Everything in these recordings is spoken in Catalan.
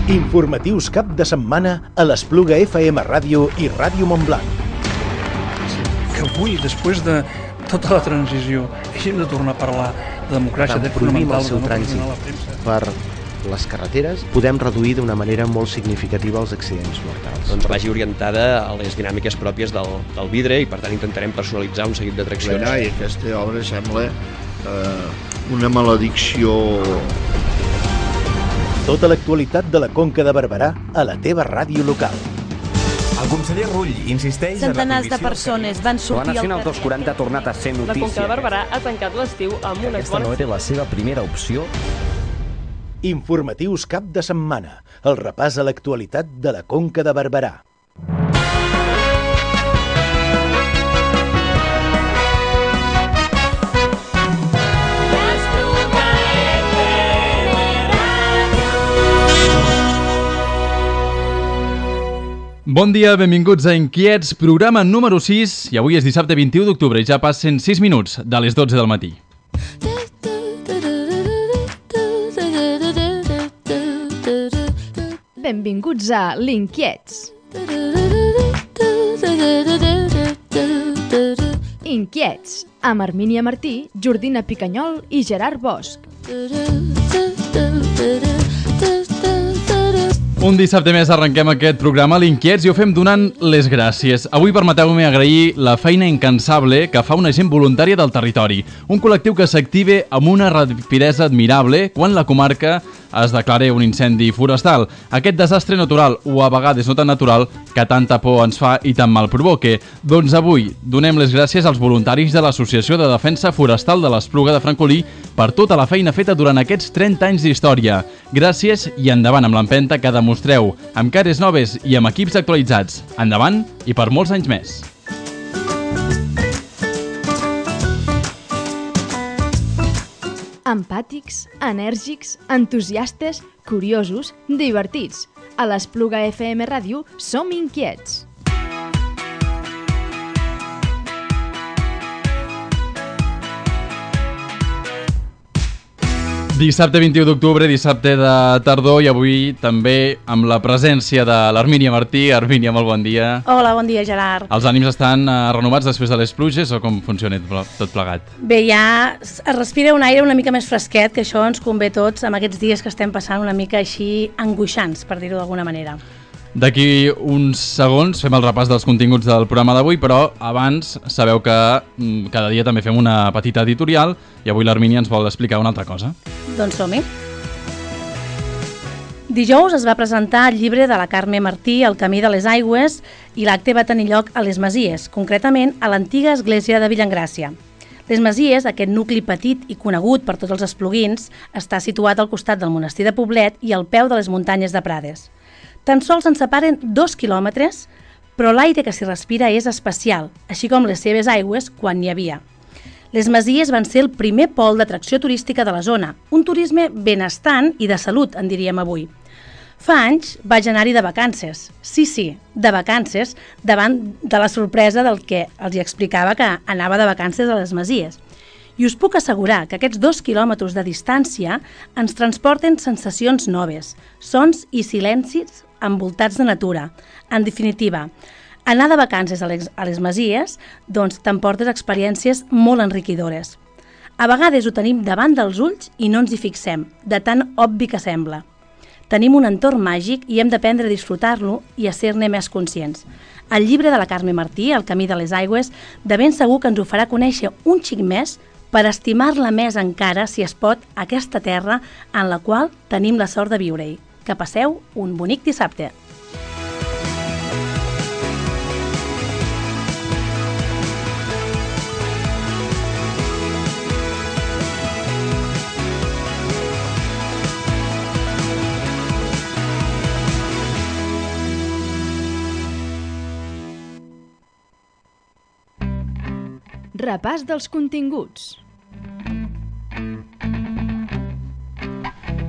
Informatius cap de setmana a l'Espluga FM Ràdio i Ràdio Montblanc. Que avui, després de tota la transició, hagin de tornar a parlar de democràcia, de prohibim el seu trànsit per les carreteres, podem reduir d'una manera molt significativa els accidents mortals. Doncs vagi orientada a les dinàmiques pròpies del vidre i per tant intentarem personalitzar un seguit d'atraccions. I aquesta obra sembla una maledicció. Tota l'actualitat de la Conca de Barberà a la teva ràdio local. El conseller Rull insisteix en la centenars de persones van sortir al carrer. 240 ha tornat a ser notícia. La Conca de Barberà ha tancat l'estiu amb unes Aquesta no era la seva primera opció. Informatius cap de setmana. El repàs a l'actualitat de la Conca de Barberà. Bon dia, benvinguts a Inquiets, programa número 6, i avui és dissabte 21 d'octubre i ja passen 6 minuts de les 12 del matí. Benvinguts a l'Inquiets. Inquiets, amb Armínia Martí, Jordina Picanyol i Gerard Bosch. Un dissabte més arrenquem aquest programa a l'Inquiets i ho fem donant les gràcies. Avui permeteu-me agrair la feina incansable que fa una gent voluntària del territori. Un col·lectiu que s'active amb una rapidesa admirable quan la comarca es declara un incendi forestal. Aquest desastre natural, o a vegades no tan natural, que tanta por ens fa i tan mal provoque. Doncs avui donem les gràcies als voluntaris de l'Associació de Defensa Forestal de l'Espluga de Francolí per tota la feina feta durant aquests 30 anys d'història. Gràcies i endavant amb l'empenta que demostreu, amb cares noves i amb equips actualitzats. Endavant i per molts anys més. Empàtics, enèrgics, entusiastes, curiosos, divertits. A l'Espluga FM Ràdio som inquiets. Dissabte 21 d'octubre, dissabte de tardor, i avui també amb la presència de l'Armínia Martí. Armínia, molt bon dia. Hola, bon dia, Gerard. Els ànims estan renovats després de les pluges o com funciona tot plegat? Bé, ja es respira un aire una mica més fresquet, que això ens convé tots amb aquests dies que estem passant una mica així angoixants, per dir-ho d'alguna manera. D'aquí uns segons fem el repàs dels continguts del programa d'avui, però abans sabeu que cada dia també fem una petita editorial i avui l'Armínia ens vol explicar una altra cosa. Doncs som-hi. Dijous es va presentar el llibre de la Carme Martí, El camí de les aigües, i l'acte va tenir lloc a les Masies, concretament a l'antiga església de Villaengràcia. Les Masies, aquest nucli petit i conegut per tots els espluguins, està situat al costat del monestir de Poblet i al peu de les muntanyes de Prades. Tan sols ens separen 2 quilòmetres, però l'aire que s'hi respira és especial, així com les seves aigües quan n'hi havia. Les Masies van ser el primer pol d'atracció turística de la zona, un turisme benestant i de salut, en diríem avui. Fa anys vaig anar-hi de vacances, sí, de vacances, davant de la sorpresa del que els explicava que anava de vacances a les Masies. I us puc assegurar que aquests 2 quilòmetres de distància ens transporten sensacions noves, sons i silencis envoltats de natura. En definitiva, anar de vacances a les Masies doncs t'emportes experiències molt enriquidores. A vegades ho tenim davant dels ulls i no ens hi fixem, de tan obvi que sembla. Tenim un entorn màgic i hem d'aprendre a disfrutar-lo i a ser-ne més conscients. El llibre de la Carme Martí, El camí de les aigües, de ben segur que ens ho farà conèixer un xic més per estimar-la més encara, si es pot, aquesta terra en la qual tenim la sort de viure-hi. Que passeu un bonic dissabte. Repàs dels continguts.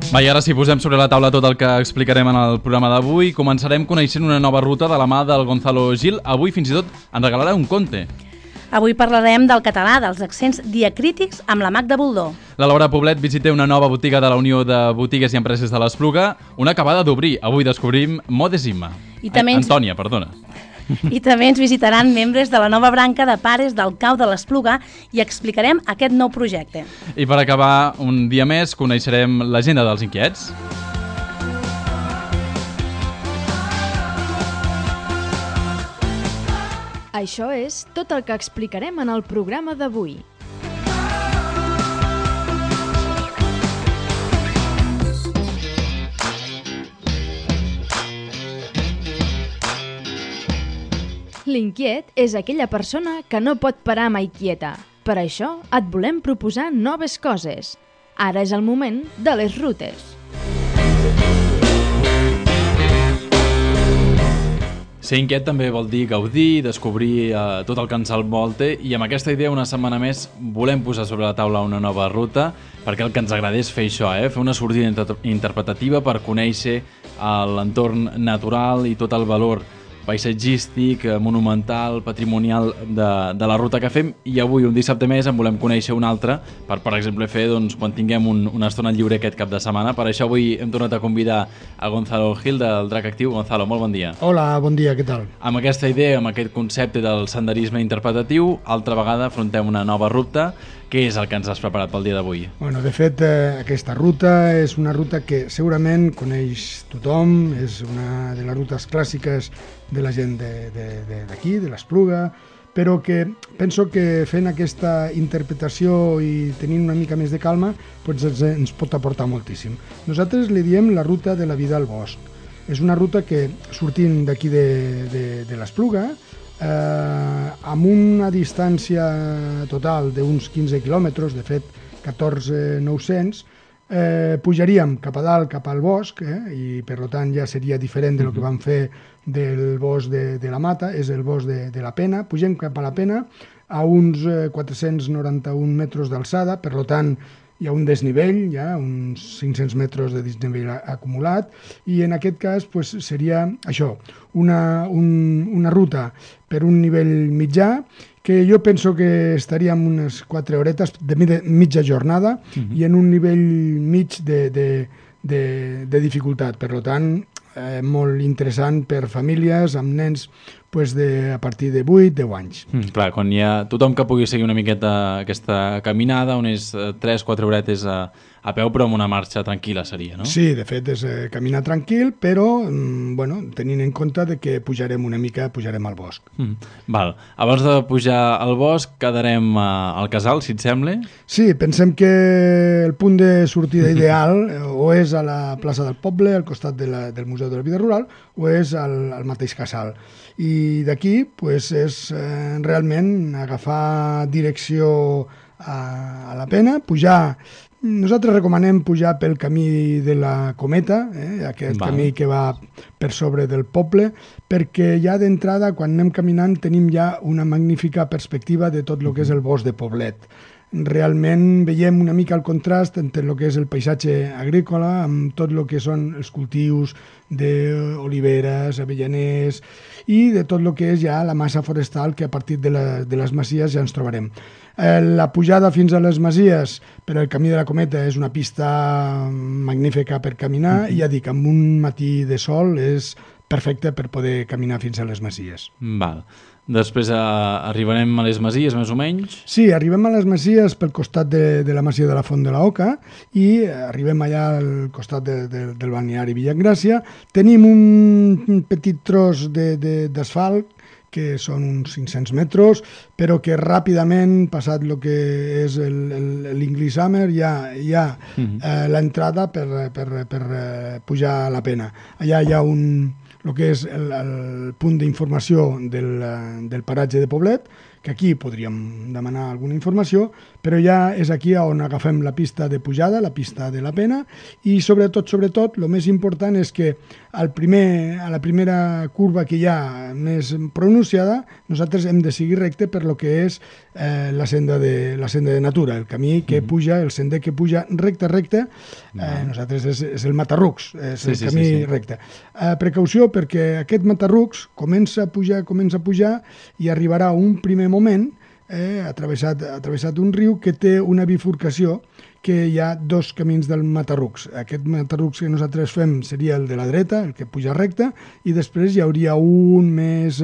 Va, i ara sí, posem sobre la taula tot el que explicarem en el programa d'avui. Començarem coneixent una nova ruta de la mà del Gonzalo Gil. Avui fins i tot ens regalarà un conte. Avui parlarem del català, dels accents diacrítics amb la Magda Boldó. La Laura Poblet visita una nova botiga de la Unió de Botigues i Empreses de l'Espluga, una acabada d'obrir. Avui descobrim Modesima. Antònia, perdona. I també ens visitaran membres de la nova branca de pares del Cau de l'Espluga i explicarem aquest nou projecte. I per acabar, un dia més, coneixerem l'agenda dels inquiets. Això és tot el que explicarem en el programa d'avui. L'inquiet és aquella persona que no pot parar mai quieta. Per això et volem proposar noves coses. Ara és el moment de les rutes. Ser inquiet també vol dir gaudir, descobrir tot el que ens envolta, i amb aquesta idea una setmana més volem posar sobre la taula una nova ruta, perquè el que ens agrada és fer això, fer una sortida interpretativa per conèixer l'entorn natural i tot el valor paisatgístic, monumental, patrimonial de la ruta que fem, i avui, un dissabte més, en volem conèixer una altra per exemple, fer quan tinguem una estona lliure aquest cap de setmana. Per això avui hem tornat a convidar a Gonzalo Gil del Drac Actiu. Gonzalo, molt bon dia. Hola, bon dia, què tal? Amb aquesta idea, amb aquest concepte del senderisme interpretatiu, altra vegada afrontem una nova ruta. Què és el que ens has preparat pel dia d'avui? Bueno, de fet, aquesta ruta és una ruta que segurament coneix tothom, és una de les rutes clàssiques de la gent d'aquí, de l'Espluga, però que penso que fent aquesta interpretació i tenint una mica més de calma doncs ens pot aportar moltíssim. Nosaltres li diem la ruta de la vida al bosc. És una ruta que, sortint d'aquí de l'Espluga, amb una distància total d'uns 15 quilòmetres, de fet 14.900, pujaríem cap a dalt, cap al bosc, i per tant ja seria diferent del que vam fer del bosc de la Mata, és el bosc de la Pena. Pugem cap a la Pena a uns 491 metres d'alçada, per tant hi ha un desnivell, ja uns 500 metres de desnivell acumulat, i en aquest cas pues, seria això, una ruta per un nivell mitjà, que jo penso que estaríem unes 4 horetes de mitja jornada i en un nivell mig de dificultat. Per tant, molt interessant per famílies amb nens a partir de 8-10 anys. Clar, quan hi ha tothom que pugui seguir una miqueta aquesta caminada, unes 3-4 horetes a peu, però amb una marxa tranquil·la seria, no? Sí, de fet és caminar tranquil, però tenint en compte que pujarem una mica, pujarem al bosc. Val. Abans de pujar al bosc quedarem al casal, si et sembla? Sí, pensem que el punt de sortida ideal o és a la plaça del Poble, al costat del Museu de la Vida Rural, o és al mateix casal. I d'aquí és realment agafar direcció a la Pena, pujar. Nosaltres recomanem pujar pel camí de la Cometa, aquest camí que va per sobre del poble, perquè ja d'entrada, quan anem caminant, tenim ja una magnífica perspectiva de tot el que és el bosc de Poblet. Realment veiem una mica el contrast entre el que és el paisatge agrícola amb tot el que són els cultius d'oliveres, avellaners i de tot el que és ja la massa forestal que a partir de les masies ja ens trobarem. La pujada fins a les masies per al camí de la Cometa és una pista magnífica per caminar i ja dic, amb un matí de sol és perfecte per poder caminar fins a les masies. Val. Després arribarem a les masies, més o menys? Sí, arribem a les masies pel costat de la masia de la Font de la Oca i arribem allà al costat del balneari Villagràcia. Tenim un petit tros d'asfalt que són uns 500 metres, però que ràpidament, passat el que és l'English Hammer, hi ha l'entrada per pujar a la Pena. Allà hi ha el que és el punt d'informació del paratge de Poblet, que aquí podríem demanar alguna informació, però ja és aquí on agafem la pista de pujada, la pista de la Pena, i sobretot, el més important és que a la primera curva que hi ha més pronunciada, nosaltres hem de seguir recte per lo que és la senda de natura, el camí que puja, el sender que puja recte, nosaltres és el Matarrucs, és el camí recte. Precaució perquè aquest Matarrucs comença a pujar i arribarà un primer moment ha travessat un riu que té una bifurcació, que hi ha dos camins del Matarrucs. Aquest Matarrucs que nosaltres fem seria el de la dreta, el que puja recte, i després hi hauria un més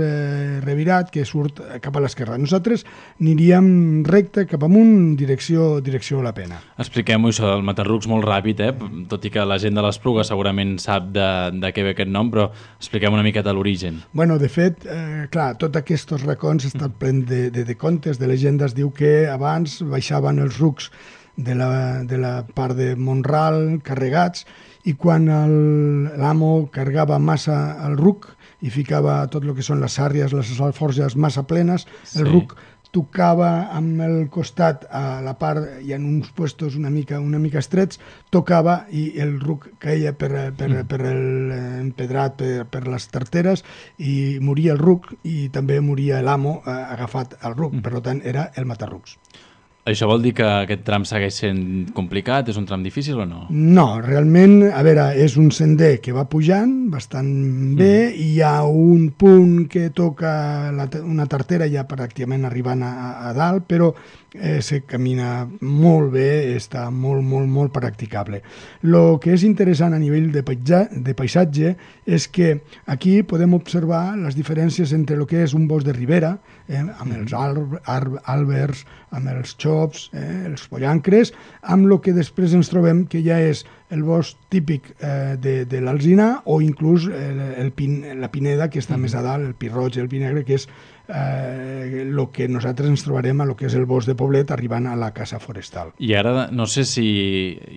revirat que surt cap a l'esquerra. Nosaltres aniríem recte cap amunt, direcció a la Pena. Expliquem-ho, això del Matarrucs, molt ràpid, tot i que la gent de l'Espluga segurament sap de què ve aquest nom, però expliquem una miqueta l'origen. Bueno, de fet, clar, tots aquests racons estan plens de contes, de llegendes. Diu que abans baixaven els rucs de la part de Montral carregats, i quan l'amo carregava massa el ruc i ficava tot el que són les sàrries, les alforges massa plenes, el ruc tocava amb el costat a la part, hi ha uns puestos una mica estrets, tocava i el ruc caia per l'empedrat, per les tarteres, i moria el ruc i també moria l'amo agafat al ruc. Per tant, era el Matarrucs. Això vol dir que aquest tram segueix sent complicat? És un tram difícil o no? No, realment, a veure, és un sender que va pujant bastant bé, i hi ha un punt que toca una tartera ja pràcticament arribant a dalt, però se camina molt bé, està molt practicable. El que és interessant a nivell de paisatge és que aquí podem observar les diferències entre el que és un bosc de ribera, amb els àlbers, amb els xops, els pollancres, amb el que després ens trobem que ja és el bosc típic de l'alzinar, o inclús la pineda, que està més a dalt, el pi roig i el pi negre, que és el que nosaltres ens trobarem a lo que és el bosc de Poblet arribant a la casa forestal. I ara, no sé si...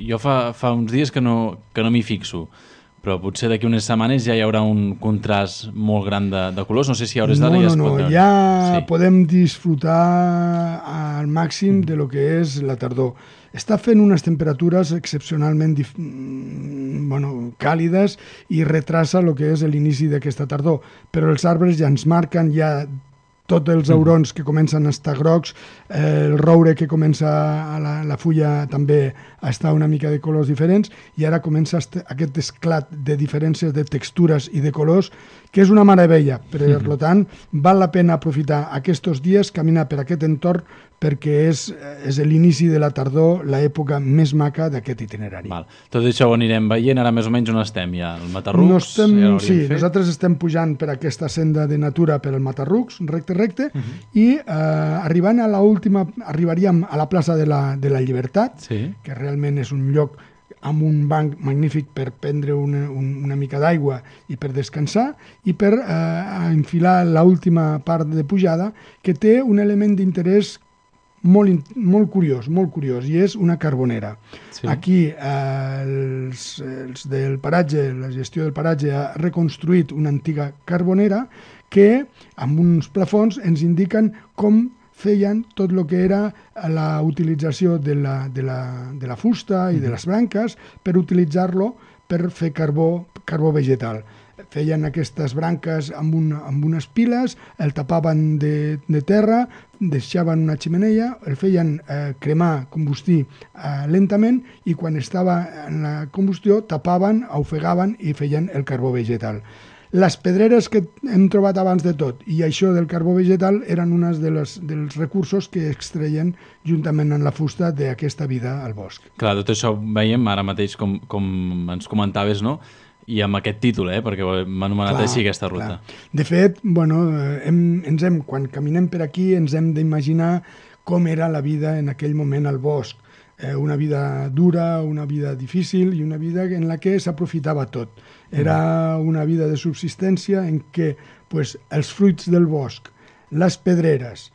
Jo fa uns dies que no m'hi fixo, però potser d'aquí unes setmanes ja hi haurà un contrast molt gran de colors. No sé si a hores d'ara ja es pot veure. Ja podem disfrutar al màxim de lo que és la tardor. Està fent unes temperatures excepcionalment càlides i retrasa el que és l'inici d'aquesta tardor, però els arbres ja ens marquen ja tots els aurons que comencen a estar grocs, el roure que comença la fulla també a estar una mica de colors diferents, i ara comença aquest esclat de diferències de textures i de colors, que és una meravella. Per tant, val la pena aprofitar aquests dies, caminar per aquest entorn, perquè és l'inici de la tardor, l'època més maca d'aquest itinerari. Tot això ho anirem veient. Ara més o menys on estem ja? El Matarrucs? Sí, nosaltres estem pujant per aquesta senda de natura per el Matarrucs, recte, i arribaríem a la plaça de la Llibertat, que realment és un lloc amb un banc magnífic per prendre una mica d'aigua i per descansar, i per enfilar l'última part de pujada, que té un element d'interès molt curiós, i és una carbonera. Aquí els del paratge, la gestió del paratge, ha reconstruït una antiga carbonera que amb uns plafons ens indiquen com feien tot el que era la utilització de la fusta i de les branques per utilitzar-lo per fer carbó vegetal. Feien aquestes branques amb unes piles, el tapaven de terra, deixaven una xemeneia, el feien cremar, combustir lentament, i quan estava en la combustió tapaven, ofegaven i feien el carbó vegetal. Les pedreres que hem trobat abans de tot i això del carbó vegetal eren uns dels recursos que extreien juntament amb la fusta d'aquesta vida al bosc. Clar, tot això ho veiem ara mateix com ens comentaves, no? I amb aquest títol, perquè hem anomenat així aquesta ruta. De fet, quan caminem per aquí ens hem d'imaginar com era la vida en aquell moment al bosc. Una vida dura, una vida difícil i una vida en la que s'aprofitava tot. Era una vida de subsistència en què els fruits del bosc, les pedreres,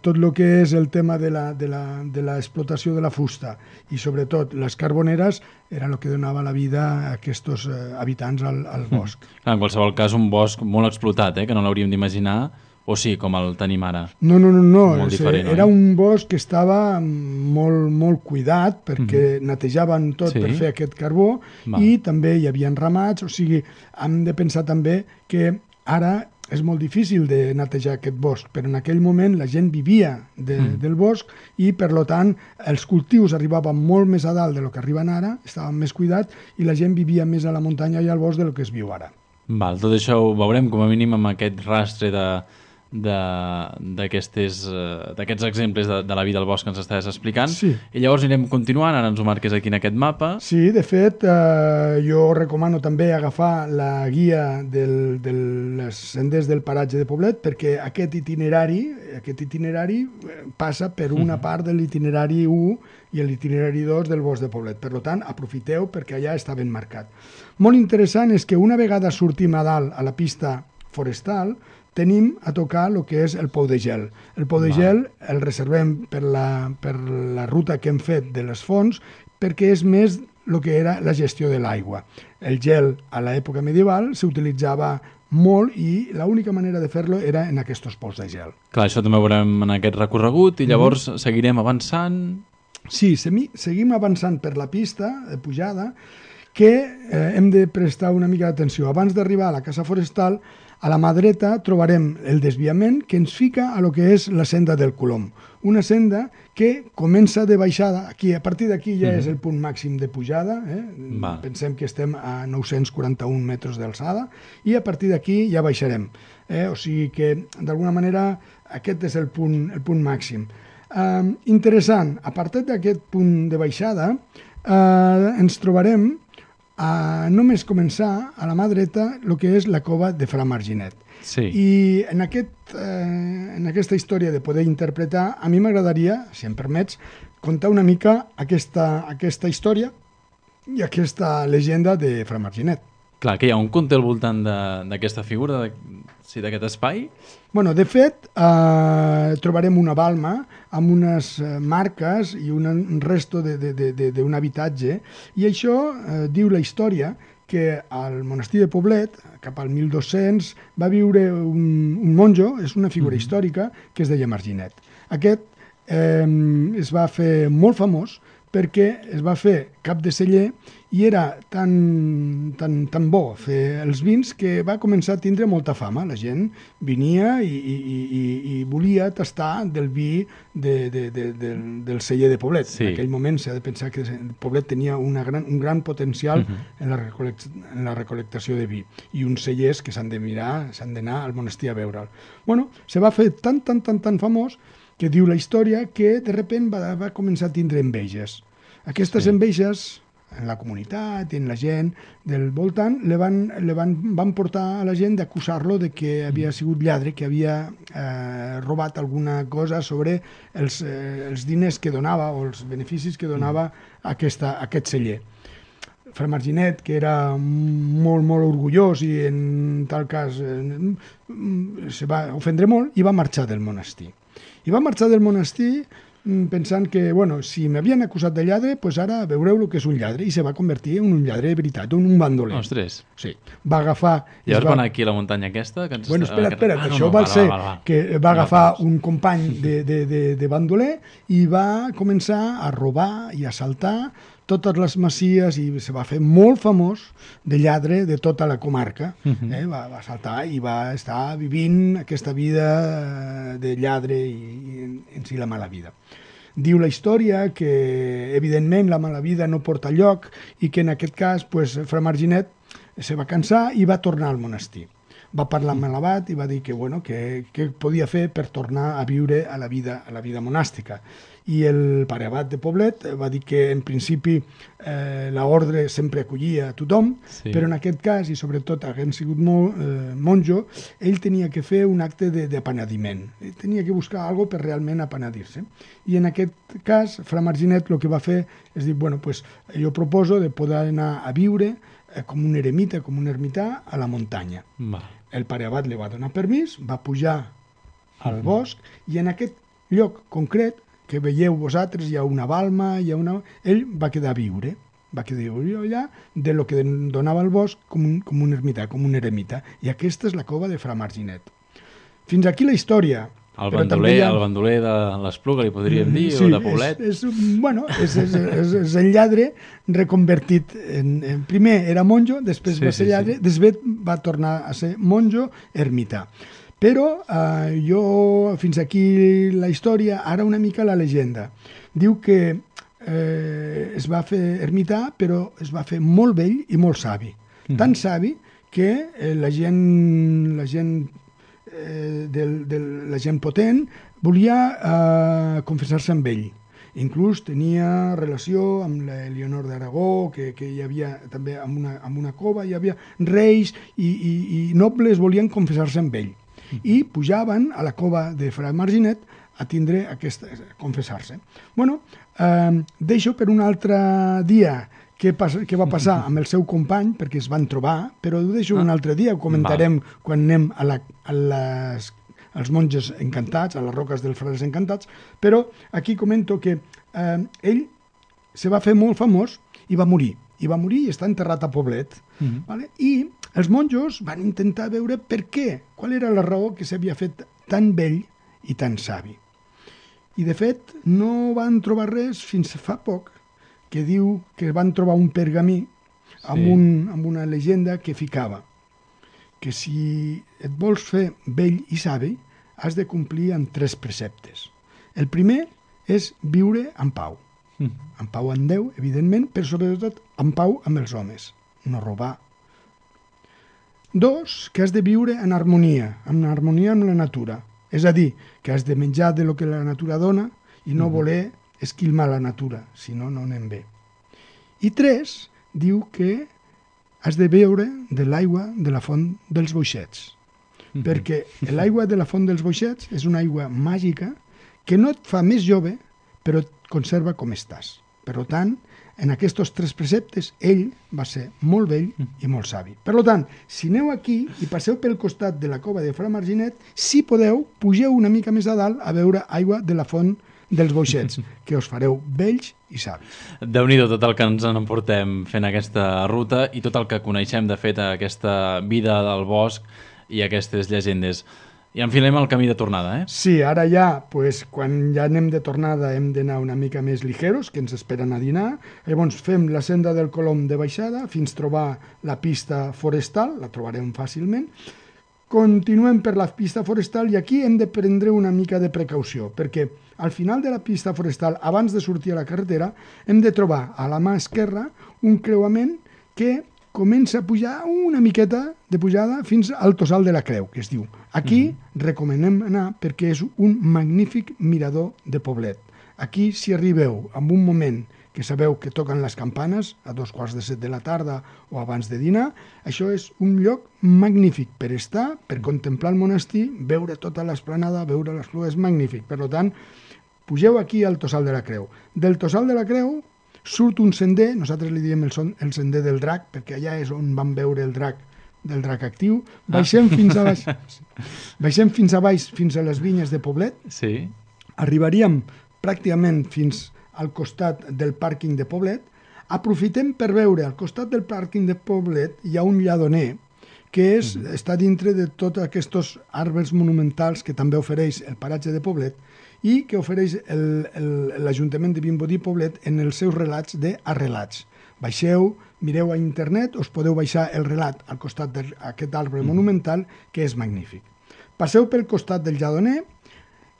tot el que és el tema de l'explotació de la fusta i sobretot les carboneres era el que donava la vida a aquests habitants al bosc. En qualsevol cas, un bosc molt explotat, que no l'hauríem d'imaginar, o sí, com el tenim ara? No. Era un bosc que estava molt cuidat perquè netejaven tot per fer aquest carbó i també hi havia ramats, o sigui, hem de pensar també que ara és molt difícil de netejar aquest bosc, però en aquell moment la gent vivia del bosc i, per tant, els cultius arribaven molt més a dalt del que arriben ara, estaven més cuidats i la gent vivia més a la muntanya i al bosc del que es viu ara. Tot això ho veurem com a mínim amb aquest rastre d'aquests exemples de la vida al bosc que ens estàs explicant. Sí. I llavors anirem continuant, ara ens ho marques aquí en aquest mapa. Sí, de fet, jo recomano també agafar la guia dels senders del paratge de Poblet, perquè aquest itinerari passa per una part de l'itinerari 1 i l'itinerari 2 del bosc de Poblet. Per tant, aprofiteu perquè allà està ben marcat. Molt interessant és que una vegada sortim a dalt a la pista forestal, tenim a tocar el que és el pou de gel. El pou de gel el reservem per la ruta que hem fet de les fonts, perquè és més el que era la gestió de l'aigua. El gel a l'època medieval s'utilitzava molt i l'única manera de fer-lo era en aquests pous de gel. Clar, això també ho veurem en aquest recorregut i llavors seguirem avançant. Sí, seguim avançant per la pista de pujada, que hem de prestar una mica d'atenció. Abans d'arribar a la casa forestal, a la mà dreta trobarem el desviament que ens fica a lo que és la senda del Colom. Una senda que comença de baixada, aquí, a partir d'aquí ja és el punt màxim de pujada, pensem que estem a 941 metres d'alçada, i a partir d'aquí ja baixarem. O sigui que, d'alguna manera, aquest és el punt màxim. Interessant, a partir d'aquest punt de baixada, ens trobarem només començar a la mà dreta el que és la cova de Fra Marginet. Sí. I en aquesta història de poder interpretar, a mi m'agradaria, si em permets, contar una mica aquesta història i aquesta llegenda de Fra Marginet. Clar, que hi ha un conte al voltant d'aquesta figura, d'aquest espai? Bueno, de fet, trobarem una balma amb unes marques i un resto d'un habitatge, i això diu la història que al monestir de Poblet, cap al 1200, va viure un monjo, és una figura històrica, que es deia Marginet. Aquest es va fer molt famós perquè es va fer cap de celler i era tan bo fer els vins que va començar a tindre molta fama. La gent venia i volia tastar del vi del celler de Poblet. Sí. En aquell moment s'ha de pensar que Poblet tenia un gran potencial en la recol·lectació de vi, i uns cellers que s'han d'anar al monestir a veure'l. Bueno, se va fer tan famós que diu la història que de repent va començar a tindre enveges. Aquestes enveges en la comunitat i en la gent del voltant van portar a la gent d'acusar-lo de que havia sigut lladre, que havia robat alguna cosa sobre els diners que donava o els beneficis que donava aquest celler. Fra Marginet, que era molt orgullós i en tal cas se va ofendre molt, i va marxar del monestir. I va marxar del monestir pensant que, si m'havien acusat de lladre, doncs ara veureu el que és un lladre, i se va convertir en un lladre de veritat, en un bandoler. Ostres. Sí. Va agafar... Llavors va anar aquí a la muntanya aquesta? Bueno, espera't, això va ser que va agafar un company de bandoler i va començar a robar i a assaltar totes les masies, i se va fer molt famós de lladre de tota la comarca. Va saltar i va estar vivint aquesta vida de lladre i en si la mala vida. Diu la història que, evidentment, la mala vida no porta lloc i que en aquest cas Fra Marginet se va cansar i va tornar al monestir. Va parlar amb l'abat i va dir que què podia fer per tornar a viure a la vida monàstica. I el pare abat de Poblet va dir que en principi l'ordre sempre acollia a tothom, però en aquest cas, i sobretot havent sigut monjo, ell tenia que fer un acte d'apenediment. Tenia que buscar alguna cosa per realment apenedir-se. I en aquest cas, Fra Marginet el que va fer és dir, jo proposo de poder anar a viure com un eremita, com un ermità, a la muntanya. El pare abat li va donar permís, va pujar al bosc, i en aquest lloc concret que veieu vosaltres, hi ha una balma, ell va quedar a viure allà de lo que donava el bosc com un ermità, com un eremita. I aquesta és la cova de Fra Marginet. Fins aquí la història. El bandoler de l'Espluga, li podríem dir, o de Poblet. És el lladre reconvertit. Primer era monjo, després va ser lladre, després va tornar a ser monjo ermità. Però fins aquí la història, ara una mica la llegenda. Diu que es va fer ermità, però es va fer molt vell i molt savi. Tan savi que la gent de la gent potent, volia confessar-se amb ell. Inclús tenia relació amb l'Eleonor d'Aragó, que hi havia també amb una cova, hi havia reis i nobles volien confessar-se amb ell. I pujaven a la cova de Fra Marginet a tindre confessar-se. Bueno, deixo per un altre dia què va passar amb el seu company, perquè es van trobar, però ho deixo un altre dia, ho comentarem quan anem als monges encantats, a les roques dels frares encantats, però aquí comento que ell se va fer molt famós i va morir i està enterrat a Poblet. Vale? I els monjos van intentar veure per què, qual era la raó que s'havia fet tan vell i tan savi. I de fet no van trobar res fins fa poc, que diu que van trobar un pergamí amb una llegenda que ficava que si et vols fer vell i savi, has de complir amb 3 preceptes. El primer és viure en pau. En pau amb Déu, evidentment, però sobretot en pau amb els homes. No robar. 2, que has de viure en harmonia amb la natura. És a dir, que has de menjar de lo que la natura dona i no voler esquilmar la natura, si no, no anem bé. I 3, diu que has de beure de l'aigua de la font dels boixets. Perquè l'aigua de la font dels boixets és una aigua màgica que no et fa més jove, però et conserva com estàs. Per tant, en aquests 3 preceptes, ell va ser molt vell i molt savi. Per tant, si aneu aquí i passeu pel costat de la cova de Fra Marginet, si podeu, pugeu una mica més a dalt a beure aigua de la font dels boixets, que us fareu vells i savis. Déu-n'hi-do tot el que ens en emportem fent aquesta ruta i tot el que coneixem, de fet, aquesta vida del bosc i aquestes llegendes. I enfilem el camí de tornada, eh? Sí, ara ja, quan ja anem de tornada hem d'anar una mica més ligeros, que ens esperen a dinar. Llavors fem la senda del Colom de baixada fins trobar la pista forestal, la trobarem fàcilment. Continuem per la pista forestal i aquí hem de prendre una mica de precaució, perquè al final de la pista forestal, abans de sortir a la carretera, hem de trobar a la mà esquerra un creuament que comença a pujar una miqueta de pujada fins al Tossal de la Creu, que es diu. Aquí recomanem anar perquè és un magnífic mirador de Poblet. Aquí, si arribeu en un moment que sabeu que toquen les campanes a 7:15 de la tarda o abans de dinar, això és un lloc magnífic per estar, per contemplar el monestir, veure tota l'esplanada, veure les flors, és magnífic. Per tant, pugeu aquí al Tossal de la Creu. Del Tossal de la Creu surt un sender, nosaltres li diem el sender del drac, perquè allà és on vam veure el drac actiu. Baixem fins a baix, fins a les vinyes de Poblet. Sí. Arribaríem pràcticament fins al costat del pàrquing de Poblet. Aprofitem per veure, al costat del pàrquing de Poblet hi ha un lladoner que està dintre de tots aquests arbres monumentals que també ofereix el paratge de Poblet i que ofereix l'Ajuntament de Vimbodí Poblet en els seus relats d'arrelats. Baixeu, mireu a internet, us podeu baixar el relat al costat d'aquest arbre monumental, que és magnífic. Passeu pel costat del lladoner,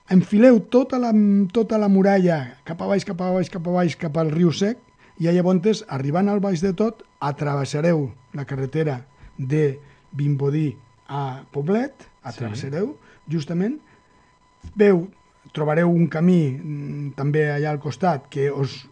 enfileu tota la muralla cap a baix, cap al riu Sec, i llavors, arribant al baix de tot, atravessareu la carretera de Vimbodí a Poblet, atravessareu, justament, trobareu un camí també allà al costat que us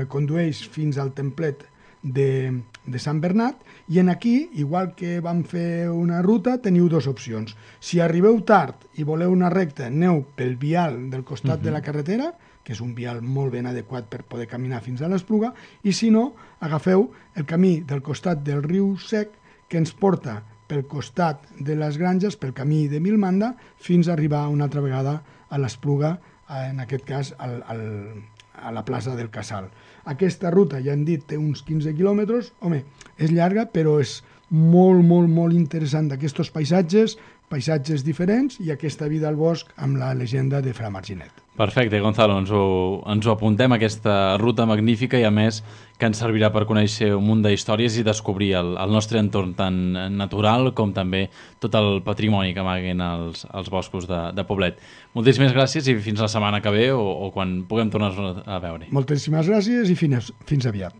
condueix fins al templet de Sant Bernat, i en aquí, igual que vam fer una ruta, teniu 2 opcions. Si arribeu tard i voleu una recta, aneu pel vial del costat de la carretera, que és un vial molt ben adequat per poder caminar fins a l'Espluga, i si no, agafeu el camí del costat del riu Sec, que ens porta pel costat de les granges, pel camí de Milmanda, fins a arribar una altra vegada a l'Espluga, en aquest cas a la plaça del Casal. Aquesta ruta, ja hem dit, té uns 15 quilòmetres. Home, és llarga, però és molt interessant d'aquests paisatges diferents i aquesta vida al bosc amb la llegenda de Fra Marginet. Perfecte, Gonzalo, ens ho apuntem, aquesta ruta magnífica, i a més que ens servirà per conèixer un munt d'històries i descobrir el nostre entorn tant natural com també tot el patrimoni que amaguen els boscos de Poblet. Moltíssimes gràcies i fins la setmana que ve o quan puguem tornar a veure. Moltíssimes gràcies i fins aviat.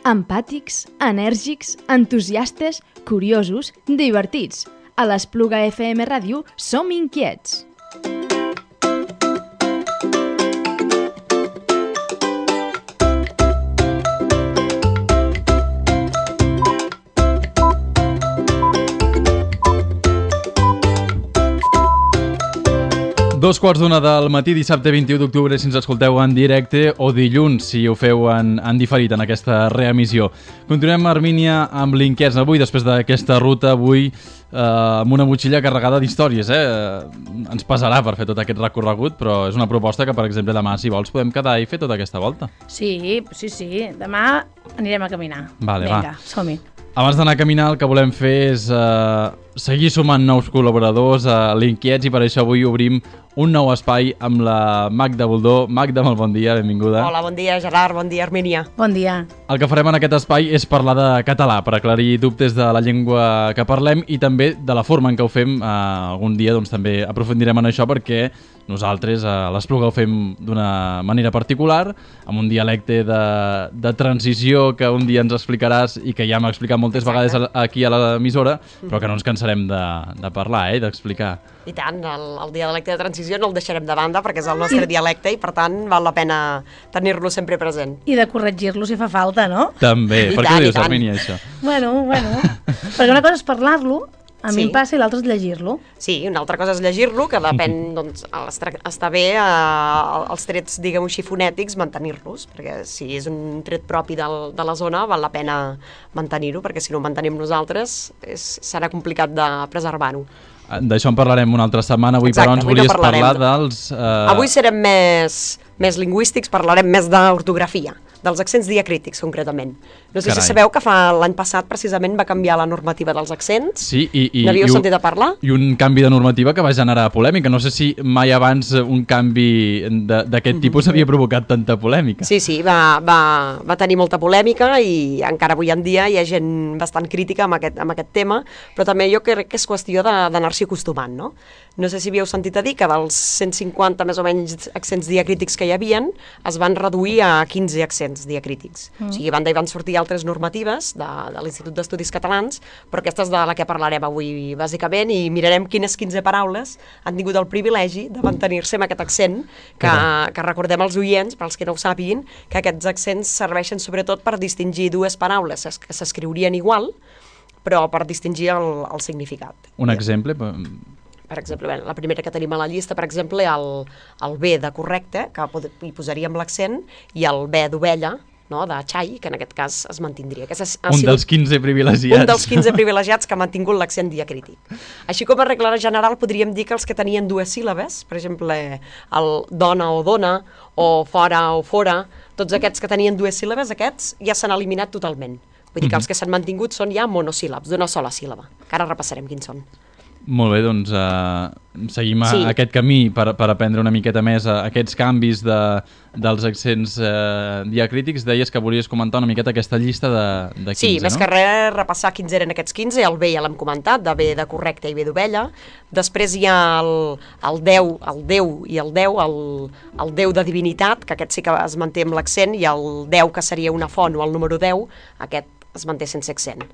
Empàtics, enèrgics, entusiastes, curiosos, divertits. A l'Espluga FM Ràdio som inquiets. Dos quarts d'una del matí, dissabte 21 d'octubre, si ens escolteu en directe, o dilluns, si ho feu en diferit, en aquesta reemissió. Continuem, Armínia, amb l'Inquiets avui, després d'aquesta ruta, avui amb una motxilla carregada d'històries. Ens pesarà per fer tot aquest recorregut, però és una proposta que, per exemple, demà, si vols, podem quedar i fer tota aquesta volta. Sí. Demà anirem a caminar. Vale, vinga, som-hi. Abans d'anar a caminar, el que volem fer és seguir sumant nous col·laboradors a l'Inquiets i per això avui obrim un nou espai amb la Magda Boldó. Magda, molt bon dia, benvinguda. Hola, bon dia Gerard, bon dia Armínia. Bon dia. El que farem en aquest espai és parlar de català, per aclarir dubtes de la llengua que parlem i també de la forma en què ho fem. Algun dia doncs, també aprofundirem en això perquè nosaltres a l'Espluga ho fem d'una manera particular, amb un dialecte de transició que un dia ens explicaràs i que ja hem explicat moltes vegades aquí a l'emissora, però que no ens cansarem de parlar, d'explicar. I tant, el dialecte de transició no el deixarem de banda perquè és el nostre dialecte i per tant val la pena tenir-lo sempre present. I de corregir-lo si fa falta, no? També. Per què ho dius, Armínia, això? Bueno, perquè una cosa és parlar-lo, a mi em passa, i l'altra és llegir-lo. Sí, una altra cosa és llegir-lo, que depèn, doncs, està bé els trets, diguem-ho així, fonètics, mantenir-los, perquè si és un tret propi de la zona, val la pena mantenir-ho, perquè si no ho mantenim nosaltres serà complicat de preservar-ho. D'això en parlarem una altra setmana. Avui, però, ens volies parlar dels... Avui serem més lingüístics, parlarem més d'ortografia, dels accents diacrítics, concretament. No sé si sabeu que l'any passat, precisament, va canviar la normativa dels accents. Sí, n'havíeu sentit a parlar? I un canvi de normativa que va generar polèmica. No sé si mai abans un canvi d'aquest tipus havia provocat tanta polèmica. Sí, va tenir molta polèmica i encara avui en dia hi ha gent bastant crítica amb aquest tema, però també jo crec que és qüestió d'anar-s'hi acostumant, no? No sé si havíeu sentit a dir que dels 150 més o menys accents diacrítics que hi havien es van reduir a 15 accents diacrítics. O sigui, a banda hi van sortir altres normatives de l'Institut d'Estudis Catalans, però aquesta és de la que parlarem avui bàsicament i mirarem quines 15 paraules han tingut el privilegi de mantenir-se amb aquest accent que recordem als oients, per als que no ho sàpiguin, que aquests accents serveixen sobretot per distingir dues paraules que s'escriurien igual, però per distingir el significat. Un exemple? Per exemple, la primera que tenim a la llista, per exemple, el B de correcte, que hi posaríem l'accent, i el B d'ovella, de xai, que en aquest cas es mantindria. Un dels 15 privilegiats. Un dels 15 privilegiats que ha mantingut l'accent diacrític. Així com a regla general podríem dir que els que tenien dues síl·labes, per exemple, el dona o dona, o fora o fora, tots aquests que tenien dues síl·labes, aquests ja s'han eliminat totalment. Vull dir que els que s'han mantingut són ja monosíl·labs, d'una sola síl·laba, que ara repassarem quins són. Molt bé, doncs seguim aquest camí per aprendre una miqueta més aquests canvis dels accents diacrítics. Deies que volies comentar una miqueta aquesta llista de 15, no? Sí, més que res repassar quins eren aquests 15, el B ja l'hem comentat, de B de correcte i B d'ovella. Després hi ha el Déu i el Déu, el Déu de divinitat, que aquest sí que es manté amb l'accent, i el Déu, que seria una font, o el número 10, aquest es manté sense accent.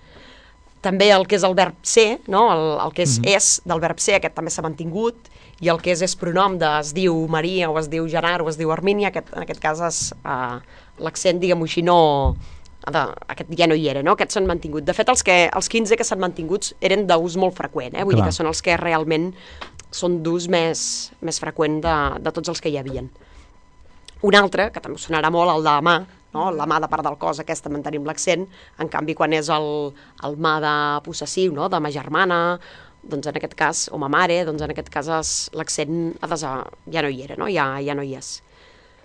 També el que és el verb ser, no? El que és del verb ser, aquest també s'ha mantingut, i el que és pronom es diu Maria, o es diu Gerard, o es diu Armínia, en aquest cas l'accent, diguem-ho així, aquest ja no hi era, no? Aquests s'han mantingut. De fet, els 15 que s'han mantinguts eren d'ús molt freqüent, vull dir que són els que realment són d'ús més freqüent de tots els que hi havien. Un altre, que també sonarà molt, el de mà, la mà de part del cos, aquesta mantenim l'accent, en canvi quan és el mà de possessiu, de ma germana, doncs en aquest cas, o ma mare, doncs en aquest cas l'accent ja no hi era, ja no hi és.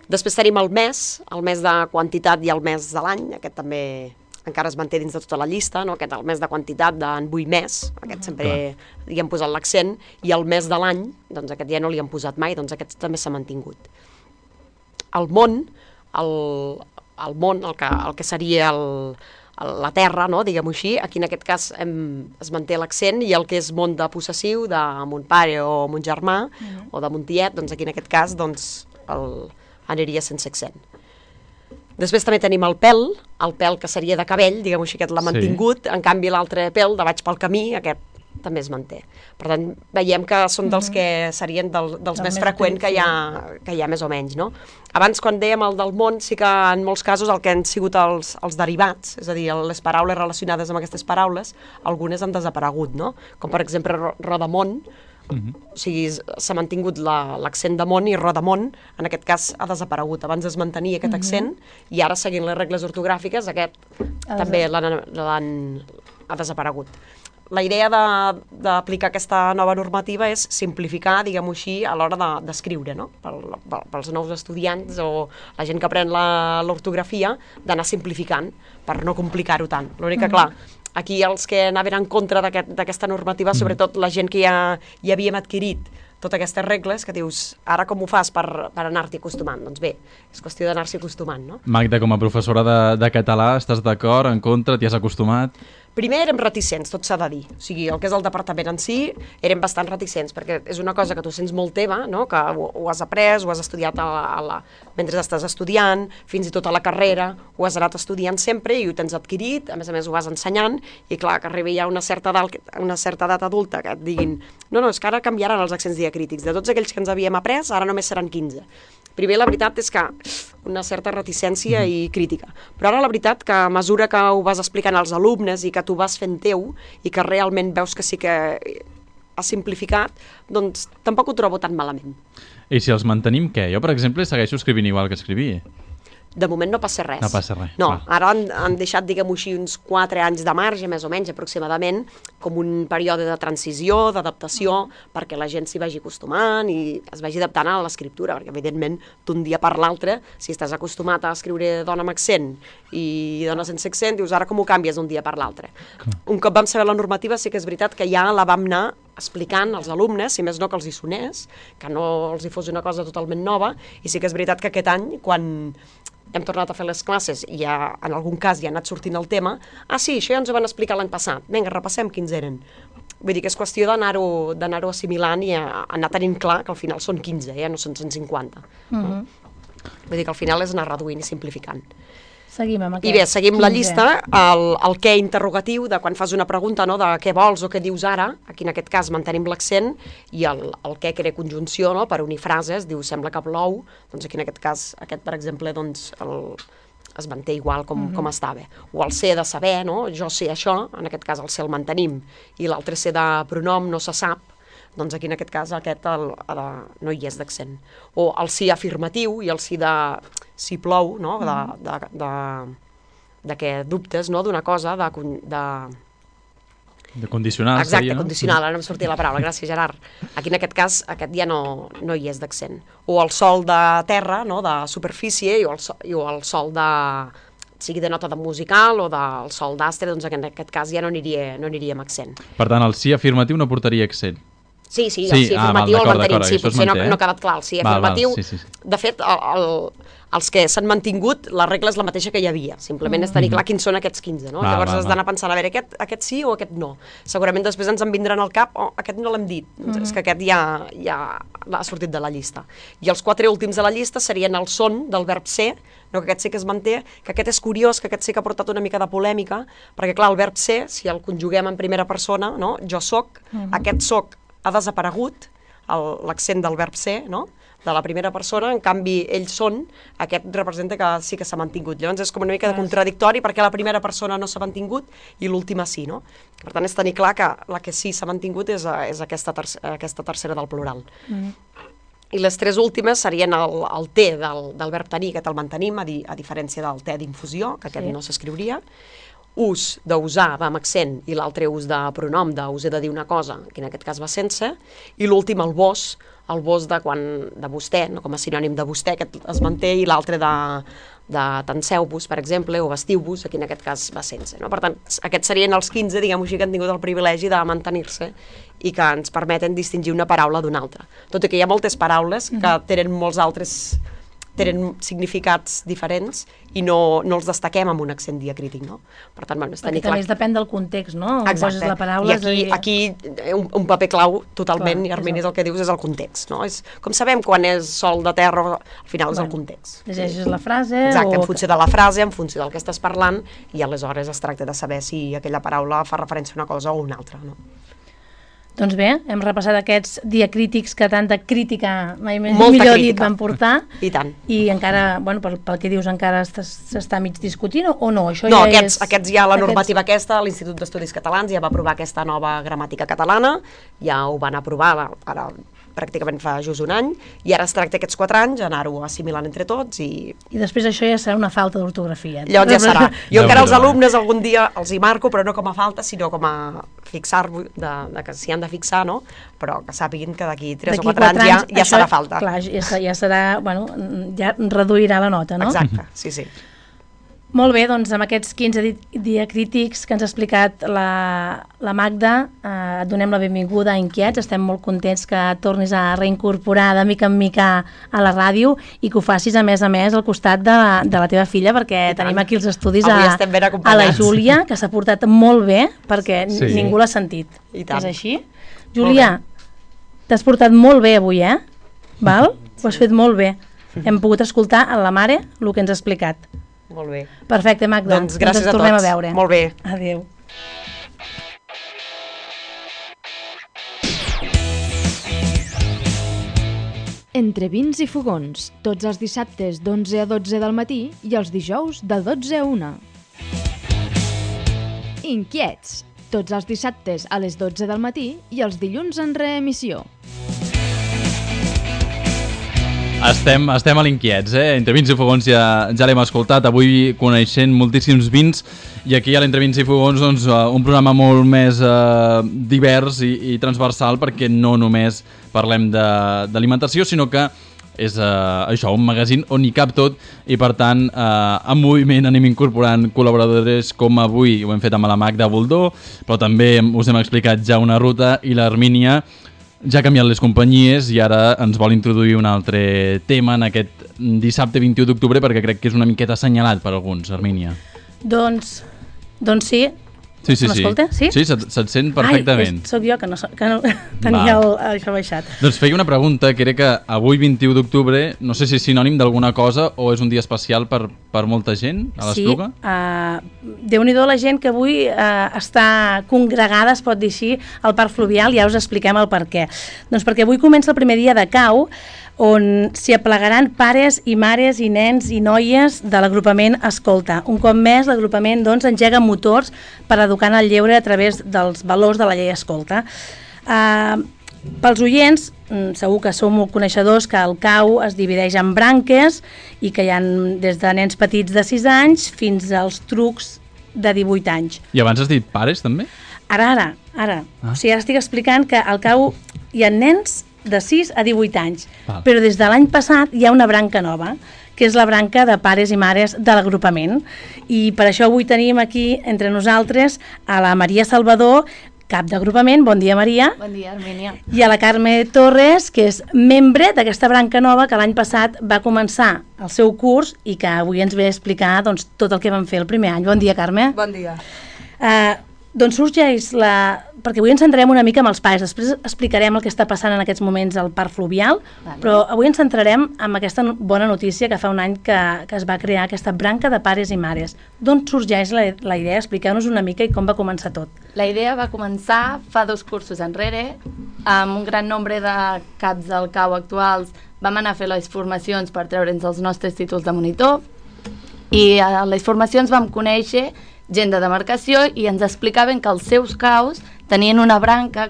Després tenim el mes de quantitat i el mes de l'any, aquest també encara es manté dins de tota la llista, aquest el mes de quantitat d'en vull més, aquest sempre hi hem posat l'accent, i el mes de l'any, doncs aquest ja no li hem posat mai, doncs aquest també s'ha mantingut. El món, el que seria la terra, diguem-ho així, aquí en aquest cas es manté l'accent, i el que és món de possessiu, de mon pare o mon germà, o de mon tiet, doncs aquí en aquest cas aniria sense accent. Després també tenim el pèl que seria de cabell, diguem-ho així, aquest l'ha mantingut, en canvi l'altre pèl de vaig pel camí, aquest també es manté. Per tant, veiem que són dels que serien dels més freqüents que hi ha més o menys, no? Abans, quan dèiem el del món, sí que en molts casos el que han sigut els derivats, és a dir, les paraules relacionades amb aquestes paraules, algunes han desaparegut, no? Com per exemple Rodamont, o sigui, s'ha mantingut l'accent de món i Rodamont, en aquest cas ha desaparegut. Abans es mantenia aquest accent i ara, seguint les regles ortogràfiques, aquest també ha desaparegut. La idea d'aplicar aquesta nova normativa és simplificar, diguem-ho així, a l'hora d'escriure, no? Pels nous estudiants o la gent que aprèn l'ortografia, d'anar simplificant per no complicar-ho tant. L'únic que, clar, aquí els que anaven en contra d'aquesta normativa, sobretot la gent que ja havíem adquirit totes aquestes regles, que dius, ara com ho fas per anar-t'hi acostumant? Doncs bé, és qüestió d'anar-s'hi acostumant, no? Magda, com a professora de català, estàs d'acord, en contra, t'hi has acostumat? Primer érem reticents, tot s'ha de dir. O sigui, el que és el departament en si, érem bastant reticents, perquè és una cosa que tu sents molt teva, no? Que ho has après, ho has estudiat mentre estàs estudiant, fins i tot a la carrera, ho has anat estudiant sempre i ho tens adquirit, a més ho vas ensenyant, i clar, que arribi ja una certa edat adulta que et diguin no, és que ara canviaran els accents diacrítics. De tots aquells que ens havíem après, ara només seran 15. Primer, la veritat és que una certa reticència i crítica. Però ara la veritat que a mesura que ho vas explicant als alumnes i que tu vas fent teu i que realment veus que sí que has simplificat, doncs tampoc ho trobo tan malament. I si els mantenim, què? Jo, per exemple, segueixo escrivint igual que escrivia. De moment no passa res. No passa res. No, ara han deixat, diguem-ho així, uns 4 anys de marge, més o menys, aproximadament, com un període de transició, d'adaptació, perquè la gent s'hi vagi acostumant i es vagi adaptant a l'escriptura, perquè, evidentment, d'un dia per l'altre, si estàs acostumat a escriure dona amb accent i dona sense accent, dius, ara com ho canvies d'un dia per l'altre? Un cop vam saber la normativa, sí que és veritat que ja la vam anar explicant als alumnes, si més no que els hi sonés, que no els hi fos una cosa totalment nova, i sí que és veritat que aquest any, quan hem tornat a fer les classes i ja, en algun cas ja ha anat sortint el tema, sí, això ja ens ho van explicar l'any passat, vinga, repassem quins eren. Vull dir que és qüestió d'anar-ho assimilant i anar tenint clar que al final són 15, no són 150. Vull dir que al final és anar reduint i simplificant. Seguim amb aquest. I bé, seguim la llista, el què interrogatiu, de quan fas una pregunta, no, de què vols o què dius ara, aquí en aquest cas mantenim l'accent, i el què crea conjunció, no, per unir frases, diu sembla que plou, doncs aquí en aquest cas, aquest per exemple, doncs es manté igual com estava. O el ser de saber, no, jo sé això, en aquest cas el ser el mantenim, i l'altre ser de pronom no se sap, doncs aquí en aquest cas no hi és d'accent. O el sí afirmatiu i el sí de si plou, no? De que dubtes d'una cosa, de condicional. Exacte, condicional, ara no em sortia la paraula, gràcies Gerard. Aquí en aquest cas, aquest ja no hi és d'accent. O el sol de terra, no? De superfície, i el sol de sigui de nota de musical o del sol d'astre, doncs en aquest cas ja no aniria amb accent. Per tant, el sí afirmatiu no portaria accent. Sí, el sí afirmatiu el mantenim, sí, potser no ha quedat clar. El sí afirmatiu, de fet, els que s'han mantingut, la regla és la mateixa que hi havia, simplement és tenir clar quins són aquests 15, no? Llavors has d'anar pensant, a veure, aquest sí o aquest no. Segurament després ens en vindran al cap, aquest no l'hem dit, és que aquest ja ha sortit de la llista. I els 4 últims de la llista serien el son del verb ser, que aquest sí que es manté, que aquest és curiós, que aquest sí que ha portat una mica de polèmica, perquè clar, el verb ser, si el conjuguem en primera persona, no? Jo soc, aquest soc ha desaparegut, l'accent del verb ser, no? De la primera persona, en canvi ells són, aquest representa que sí que s'ha mantingut. Llavors és com una mica de contradictori perquè la primera persona no s'ha mantingut i l'última sí, no? Per tant, és tenir clar que la que sí s'ha mantingut és aquesta tercera del plural. I les 3 últimes serien el té del verb tenir, aquest el mantenim, a diferència del té d'infusió, que aquest no s'escriuria, ús d'usar va amb accent i l'altre ús de pronom, us he de dir una cosa, que en aquest cas va sense, i l'últim el vos de vostè, no, com a sinònim de vostè, aquest es manté, i l'altre de tanceu-vos, per exemple, o vestiu-vos, aquí en aquest cas va sense. No? Per tant, aquests serien els 15, diguem-ho així, que han tingut el privilegi de mantenir-se i que ens permeten distingir una paraula d'una altra. Tot i que hi ha moltes paraules que tenen molts altres tenen significats diferents i no els destaquem amb un accent diacrític, no? Per tant, bueno, és tenir clar... Perquè també depèn del context, no? Exacte. La paraula, I aquí un paper clau totalment, i Armini és el que dius, és el context, no? Com sabem quan és sol de terra, al final és el context. Llegeixes la frase... Exacte, en funció de la frase, en funció del que estàs parlant, i aleshores es tracta de saber si aquella paraula fa referència a una cosa o una altra, no? Doncs bé, hem repassat aquests diacrítics que tanta crítica, millor dit, van portar. I tant. I encara, bueno, pel que dius, encara s'està mig discutint o no? No, aquests ja, la normativa aquesta, l'Institut d'Estudis Catalans ja va aprovar aquesta nova gramàtica catalana, ja ho van aprovar ara pràcticament fa just un any, i ara es tracta aquests 4 anys anar-ho assimilant entre tots i... I després això ja serà una falta d'ortografia. Llavors ja serà. Jo encara als alumnes algun dia els hi marco, però no com a falta, sinó com a fixar-ho, que s'hi han de fixar, no? Però que sàpiguin que d'aquí 3 o 4 anys ja serà falta. Clar, ja serà, bueno, ja reduirà la nota, no? Exacte, sí. Molt bé, doncs amb aquests 15 diacrítics que ens ha explicat la Magda, et donem la benvinguda a Inquiets, estem molt contents que tornis a reincorporar de mica en mica a la ràdio i que ho facis a més al costat de la teva filla, perquè tenim aquí els estudis a la Júlia, que s'ha portat molt bé, perquè ningú l'ha sentit. És així? Júlia, t'has portat molt bé avui, Val? Ho has fet molt bé. Hem pogut escoltar a la mare el que ens ha explicat. Molt bé. Perfecte, Magda. Doncs gràcies a tots. Tornem a veure. Molt bé. Adéu. Entre vins i fogons, tots els dissabtes d'11 a 12 del matí i els dijous de 12 a 1. Inquiets, tots els dissabtes a les 12 del matí i els dilluns en reemissió. Estem a l'Inquiets, Entre vins i fogons ja l'hem escoltat, avui coneixent moltíssims vins, i aquí a l'Entre vins i fogons doncs, un programa molt més divers i transversal, perquè no només parlem d'alimentació, sinó que és això, un magazín on hi cap tot, i per tant en moviment anem incorporant col·laboradores com avui ho hem fet amb la Magda Boldó, però també us hem explicat ja una ruta, i l'Armínia ja ha canviat les companyies i ara ens vol introduir un altre tema en aquest dissabte 21 d'octubre, perquè crec que és una miqueta assenyalat per alguns, Armínia. Doncs sí. Sí. M'escolta? Sí, se't sent perfectament. Ai, sóc jo que no tenia això baixat. Doncs feia una pregunta, que era que avui 21 d'octubre, no sé si és sinònim d'alguna cosa o és un dia especial per molta gent a l'Espluga? Sí, Déu-n'hi-do la gent que avui està congregada, es pot dir així, al Parc Fluvial, ja us expliquem el per què. Doncs perquè avui comença el primer dia de cau, on s'hi aplegaran pares i mares i nens i noies de l'agrupament Escolta. Un cop més, l'agrupament engega motors per educar en el lleure a través dels valors de la llei Escolta. Pels oients, segur que sou molt coneixedors que el cau es divideix en branques i que hi ha des de nens petits de 6 anys fins als trucs de 18 anys. I abans has dit pares, també? Ara. O sigui, ara estic explicant que al cau hi ha nens de 6 a 18 anys, però des de l'any passat hi ha una branca nova, que és la branca de pares i mares de l'agrupament, i per això avui tenim aquí entre nosaltres a la Maria Salvador, cap d'agrupament. Bon dia, Maria. Bon dia, Armínia. I a la Carme Torres, que és membre d'aquesta branca nova que l'any passat va començar el seu curs i que avui ens ve a explicar tot el que vam fer el primer any. Bon dia, Carme. Bon dia. Doncs sorgeix perquè avui ens centrarem una mica amb els pares, després explicarem el que està passant en aquests moments al Parc Fluvial, però avui ens centrarem en aquesta bona notícia que fa un any que es va crear aquesta branca de pares i mares. D'on sorgeix la idea? Expliqueu-nos una mica i com va començar tot. La idea va començar fa 2 cursos enrere, amb un gran nombre de caps del cau actuals vam anar a fer les formacions per treure'ns els nostres títols de monitor, i a les formacions vam conèixer gent de demarcació i ens explicaven que els seus caus tenien una branca,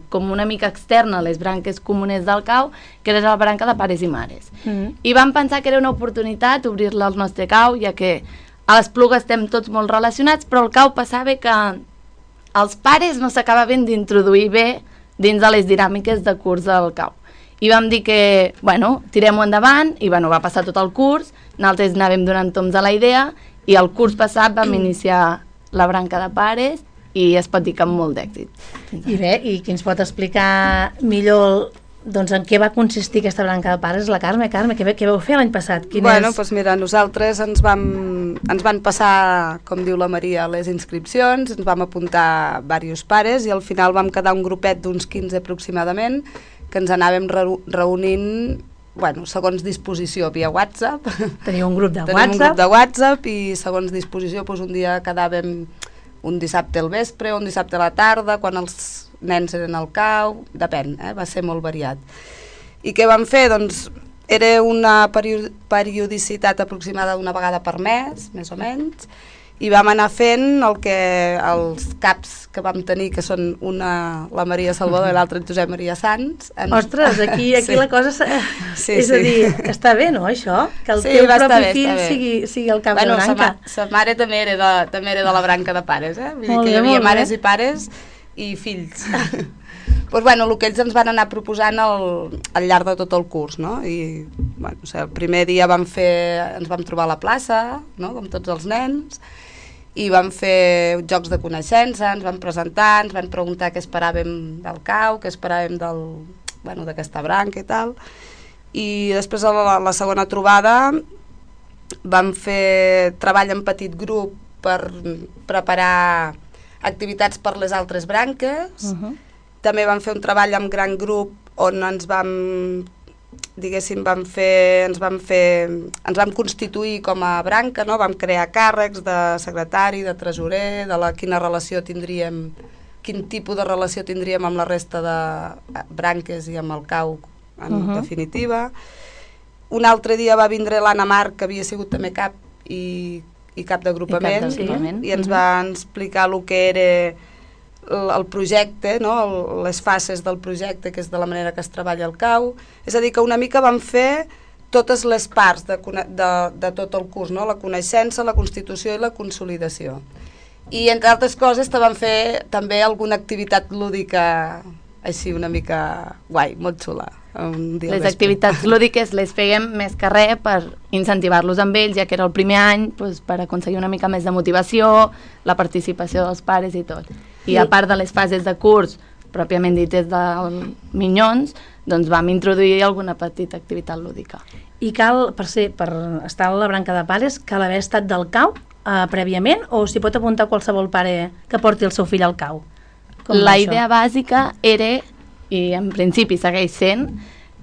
com una mica externa a les branques comunes del cau, que era la branca de pares i mares. I vam pensar que era una oportunitat obrir-la al nostre cau, ja que a l'Espluga estem tots molt relacionats, però al cau passava que els pares no s'acabaven d'introduir bé dins de les dinàmiques de curs del cau. I vam dir que, tirem-ho endavant, i va passar tot el curs, nosaltres anàvem donant toms a la idea, i el curs passat vam iniciar la branca de pares i es pot dir que amb molt d'èxit. I bé, i qui ens pot explicar millor doncs en què va consistir aquesta branca de pares? La Carme, què vau fer l'any passat? Doncs mira, nosaltres ens van passar, com diu la Maria, les inscripcions, ens vam apuntar diversos pares i al final vam quedar un grupet d'uns 15 aproximadament que ens anàvem reunint segons disposició via WhatsApp. Teniu un grup de WhatsApp? Tenim un grup de WhatsApp i segons disposició un dia quedàvem un dissabte al vespre, un dissabte a la tarda, quan els nens eren al cau, depèn, va ser molt variat. I què vam fer? Doncs era una periodicitat aproximada d'una vegada per mes, més o menys, i vam anar fent el que els caps que vam tenir, que són una la Maria Salvador i l'altra en Josep Maria Sans. Ostres, aquí sí. La cosa és a dir, està bé, no, això? Que el teu propi fill sigui el cap de branca. Sa mare també era de la branca de pares, Vull dir que hi havia mares i pares i fills. Doncs el que ells ens van anar proposant al llarg de tot el curs, no? I el primer dia ens vam trobar a la plaça, no? Com tots els nens, i vam fer jocs de coneixença, ens vam presentar, ens van preguntar què esperàvem del cau, què esperàvem d'aquesta branca i tal, i després a la segona trobada vam fer treball en petit grup per preparar activitats per les altres branques. També vam fer un treball amb gran grup on ens vam constituir com a branca, no? Vam crear càrrecs de secretari, de tresorer, quin tipus de relació tindríem amb la resta de branques i amb el cau en definitiva. Un altre dia va vindre l'Anna Marc, que havia sigut també cap i cap d'agrupament, i ens va explicar el que era el projecte, no? Les fases del projecte, que és de la manera que es treballa el cau. És a dir, que una mica vam fer totes les parts de tot el curs, no? La coneixença, la constitució i la consolidació. I entre altres coses vam fer també alguna activitat lúdica així una mica guai, molt xula. Les activitats lúdiques les fèiem més que res per incentivar-los amb ells, ja que era el primer any, per aconseguir una mica més de motivació, la participació dels pares i tot. I a part de les fases de curs, pròpiament dites dels minyons, doncs vam introduir alguna petita activitat lúdica. I cal, per estar a la branca de pares, cal haver estat del cau prèviament, o s'hi pot apuntar qualsevol pare que porti el seu fill al cau? La idea bàsica era, i en principi segueix sent,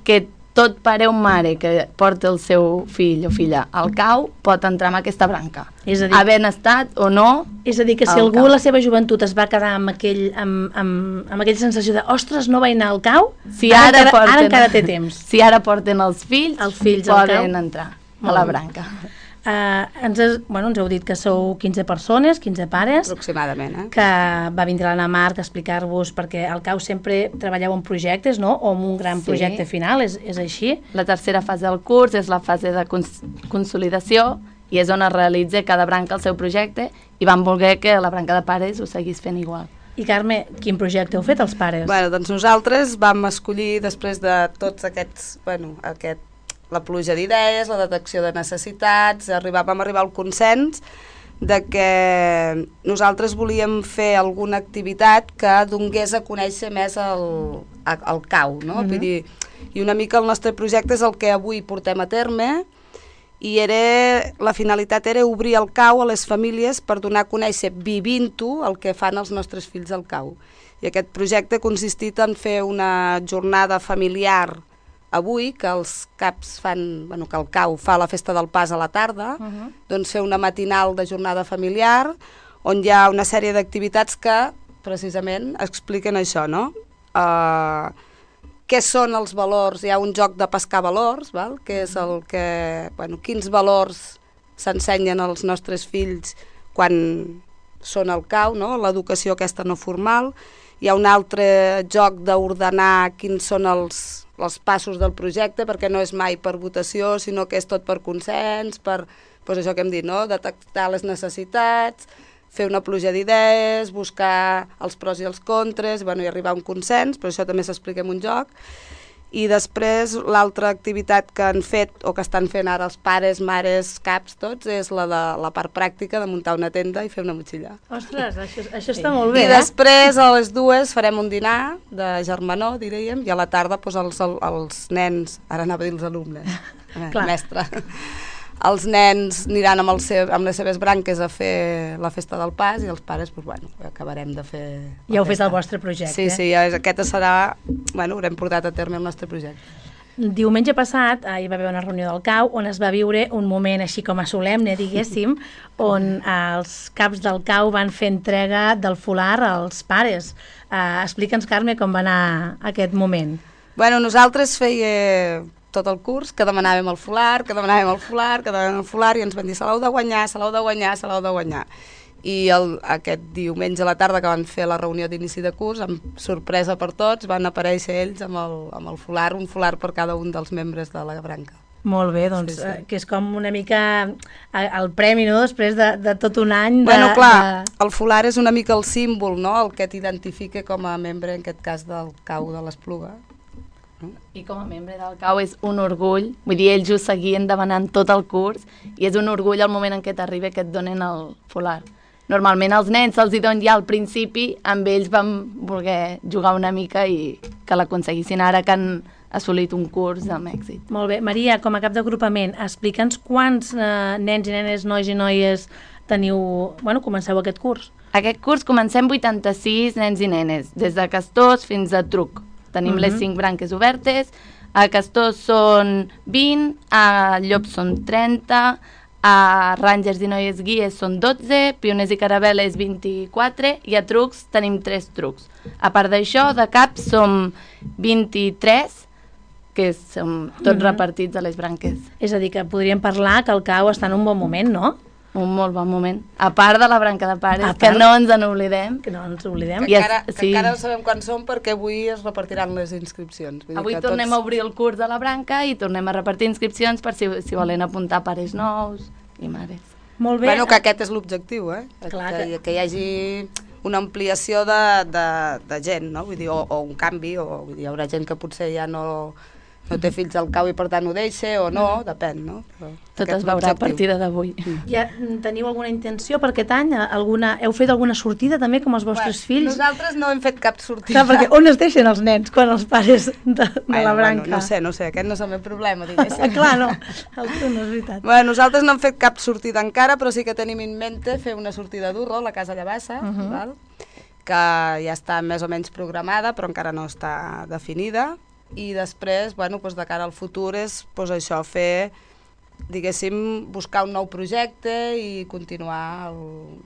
que tot pare o mare que porta el seu fill o filla al cau pot entrar en aquesta branca, havent estat o no. És a dir, que si algú a la seva joventut es va quedar amb aquella sensació de ostres, no vaig anar al cau, ara encara té temps. Si ara porten els fills poden entrar a la branca. Ens heu dit que sou 15 persones, 15 pares, aproximadament, que va vindre l'Anna Marc a explicar-vos, perquè al cau sempre treballeu en projectes, no? O en un gran projecte final, és així? La tercera fase del curs és la fase de consolidació i és on es realitza cada branca el seu projecte, i vam voler que la branca de pares ho seguís fent igual. I Carme, quin projecte heu fet els pares? Doncs nosaltres vam escollir, després de tots aquests, la pluja d'idees, la detecció de necessitats, vam arribar al consens de que nosaltres volíem fer alguna activitat que donés a conèixer més el cau, no? Vull dir, i una mica el nostre projecte és el que avui portem a terme, i la finalitat era obrir el cau a les famílies per donar a conèixer, vivint-ho, el que fan els nostres fills al cau. I aquest projecte ha consistit en fer una jornada familiar avui, que els caps fan, que el cau fa la festa del pas a la tarda, doncs fer una matinal de jornada familiar, on hi ha una sèrie d'activitats que, precisament, expliquen això, no? Què són els valors? Hi ha un joc de pescar valors, que és quins valors s'ensenyen als nostres fills quan són al cau, no? L'educació aquesta no formal. Hi ha un altre joc d'ordenar quins són els passos del projecte, perquè no és mai per votació, sinó que és tot per consens, per això que hem dit, no? Detectar les necessitats, fer una pluja d'idees, buscar els pros i els contres, i arribar a un consens, però això també s'explica en un joc. I després l'altra activitat que han fet o que estan fent ara els pares, mares, caps, tots, és la part pràctica de muntar una tenda i fer una motxilla. Ostres, això està molt bé, I després a les 2 farem un dinar de germanor, diríem, i a la tarda els nens, ara anava a dir els alumnes, mestre, els nens aniran amb les seves branques a fer la festa del pas i els pares, acabarem de fer... Ja heu fet el vostre projecte. Sí, aquest serà... haurem portat a terme el nostre projecte. Diumenge passat hi va haver una reunió del CAU on es va viure un moment així com a solemne, diguéssim, on els caps del CAU van fer entrega del folar als pares. Explica'ns, Carme, com va anar aquest moment. Nosaltres feia tot el curs, que demanàvem el folar, i ens van dir se l'heu de guanyar. I aquest diumenge a la tarda que van fer la reunió d'inici de curs, amb sorpresa per tots, van aparèixer ells amb el folar, un folar per cada un dels membres de la branca. Molt bé, doncs, que és com una mica el premi, no?, després de tot un any el folar és una mica el símbol, no?, el que t'identifica com a membre, en aquest cas, del CAU de l'Espluga. I com a membre del CAU és un orgull, vull dir, ells ho seguien demanant tot el curs i és un orgull el moment en què t'arriba que et donen el folar. Normalment els nens se'ls hi donen ja al principi, amb ells vam voler jugar una mica i que l'aconseguissin ara que han assolit un curs amb èxit. Molt bé. Maria, com a cap d'agrupament, explica'ns quants nens i nenes, nois i noies comenceu aquest curs. Aquest curs comencem 86 nens i nenes, des de Castors fins a Truc. Tenim les 5 branques obertes, a Castors són 20, a Llops són 30, a Rangers i Noies Guies són 12, Pioners i Caravel·les 24 i a Trucs tenim 3 trucs. A part d'això, de caps som 23, que som tots repartits a les branques. És a dir, que podríem parlar que el CAU està en un bon moment, no? Un molt bon moment. A part de la branca de pares, que no ens n'oblidem. Que no ens oblidem. Que encara no sabem quan som perquè avui es repartiran les inscripcions. Avui tornem a obrir el curs de la branca i tornem a repartir inscripcions per si volen apuntar pares nous i mares. Molt bé. Que aquest és l'objectiu, que hi hagi una ampliació de gent, no? Vull dir, o un canvi, vull dir, hi haurà gent que potser ja no té fills al CAU i per tant ho deixa o no, depèn, no? Tot es veurà a partir d'avui. Ja teniu alguna intenció per aquest any? Heu fet alguna sortida també com els vostres fills? Nosaltres no hem fet cap sortida. Clar, perquè on es deixen els nens quan els pares de la branca? No sé, aquest no és el meu problema, diguéssim. Clar, no, el teu no és veritat. Nosaltres no hem fet cap sortida encara, però sí que tenim en mente fer una sortida d'Urro a la Casa Llavassa, que ja està més o menys programada, però encara no està definida. I després, de cara al futur és això, fer, diguéssim, buscar un nou projecte i continuar el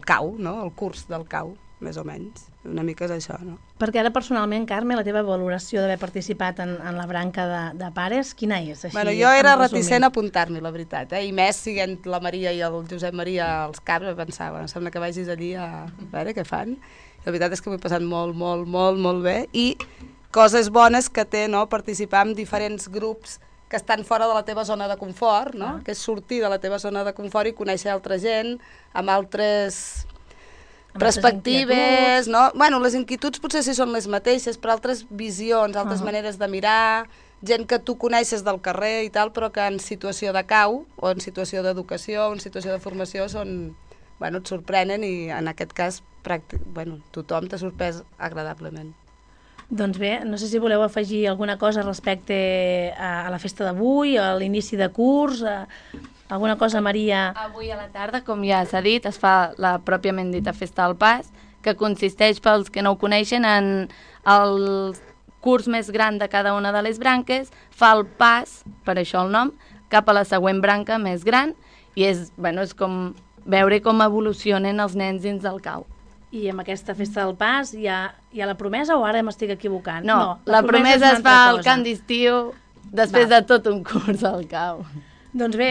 CAU, no? El curs del CAU, més o menys. Una mica és això, no? Perquè ara personalment, Carme, la teva valoració d'haver participat en la branca de pares, quina és? Jo era reticent a apuntar-m'hi, la veritat, i més siguent la Maria i el Josep Maria als caps, pensava, sembla que vagis allí a veure què fan. La veritat és que m'he passat molt bé i coses bones que té, no?, participar en diferents grups que estan fora de la teva zona de confort, no? Que és sortir de la teva zona de confort i conèixer altra gent amb altres perspectives, no? Les inquietuds potser sí són les mateixes, però altres visions, altres maneres de mirar, gent que tu coneixes del carrer i tal, però que en situació de CAU o en situació d'educació o en situació de formació et sorprenen i en aquest cas tothom t'ha sorprès agradablement. Doncs bé, no sé si voleu afegir alguna cosa respecte a la festa d'avui, a l'inici de curs, alguna cosa, Maria? Avui a la tarda, com ja s'ha dit, es fa la pròpiament dita festa del pas, que consisteix, pels que no ho coneixen, en el curs més gran de cada una de les branques, fa el pas, per això el nom, cap a la següent branca més gran, i és com veure com evolucionen els nens dins del CAU. I amb aquesta festa del pas hi ha la promesa o ara m'estic equivocant? No, la promesa es fa al cant d'estiu després de tot un curs al CAU. Doncs bé,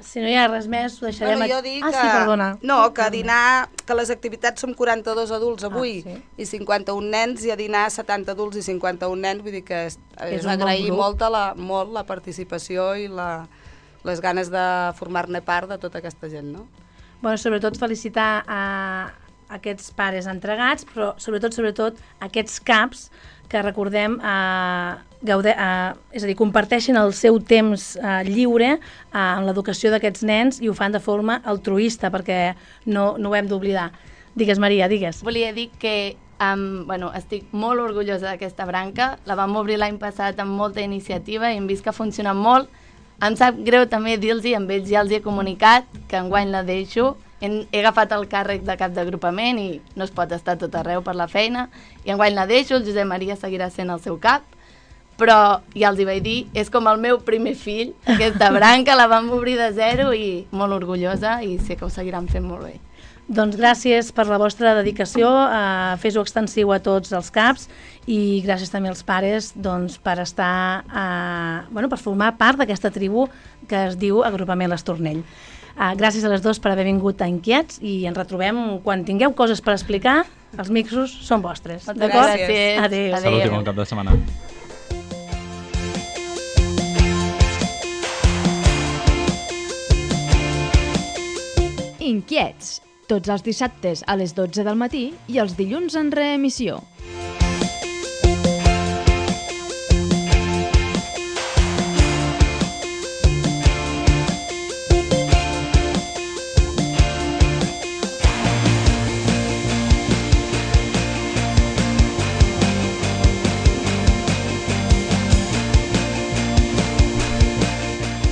si no hi ha res més, ho deixarem... Jo dic que a dinar, que les activitats són 42 adults avui i 51 nens, i a dinar 70 adults i 51 nens, vull dir que és agrair molt la participació i les ganes de formar-ne part de tota aquesta gent, no? Sobretot felicitar a aquests pares entregats, però sobretot aquests caps que recordem és a dir, comparteixen el seu temps lliure en l'educació d'aquests nens i ho fan de forma altruista perquè no ho hem d'oblidar. Digues, Maria, digues. Volia dir que estic molt orgullosa d'aquesta branca, la vam obrir l'any passat amb molta iniciativa i hem vist que ha funcionat molt. Em sap greu també dir-los, amb ells ja els he comunicat que enguany la deixo. He agafat el càrrec de cap d'agrupament i no es pot estar tot arreu per la feina, i enguany la deixo, el Josep Maria seguirà sent el seu cap, però ja els hi vaig dir, és com el meu primer fill, aquesta branca la vam obrir de zero i molt orgullosa i sé que ho seguiran fent molt bé. Doncs gràcies per la vostra dedicació, fes-ho extensiu a tots els caps i gràcies també als pares per estar, per formar part d'aquesta tribu que es diu Agrupament l'Estornell. Gràcies a les dues per haver vingut a Inquiets i ens retrobem quan tingueu coses per explicar, els micros són vostres. Moltes gràcies. Adéu. Salut i bon cap de setmana. Inquiets, tots els dissabtes a les 12 del matí i els dilluns en reemissió.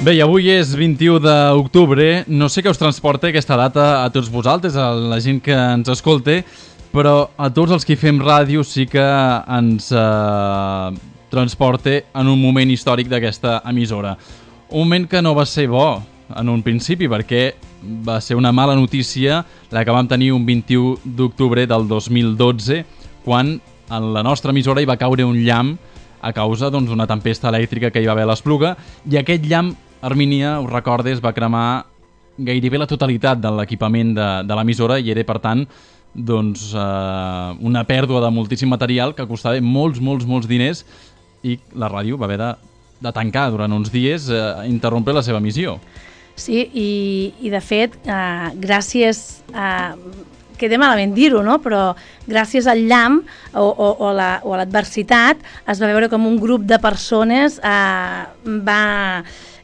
Bé, i avui és 21 d'octubre, no sé què us transporta aquesta data a tots vosaltres, a la gent que ens escolta, però a tots els que fem ràdio sí que ens transporta en un moment històric d'aquesta emissora. Un moment que no va ser bo en un principi, perquè va ser una mala notícia la que vam tenir un 21 d'octubre del 2012, quan en la nostra emissora hi va caure un llamp a causa d'una tempesta elèctrica que hi va haver a l'Espluga, i aquest llamp, Armínia, us recordes, va cremar gairebé la totalitat de l'equipament de l'emissora i era, per tant, una pèrdua de moltíssim material que costava molts diners i la ràdio va haver de tancar durant uns dies, interrompre la seva emissió. Sí, i de fet, gràcies a... queda malament dir-ho, no? Però gràcies al llamp o a l'adversitat es va veure com un grup de persones va...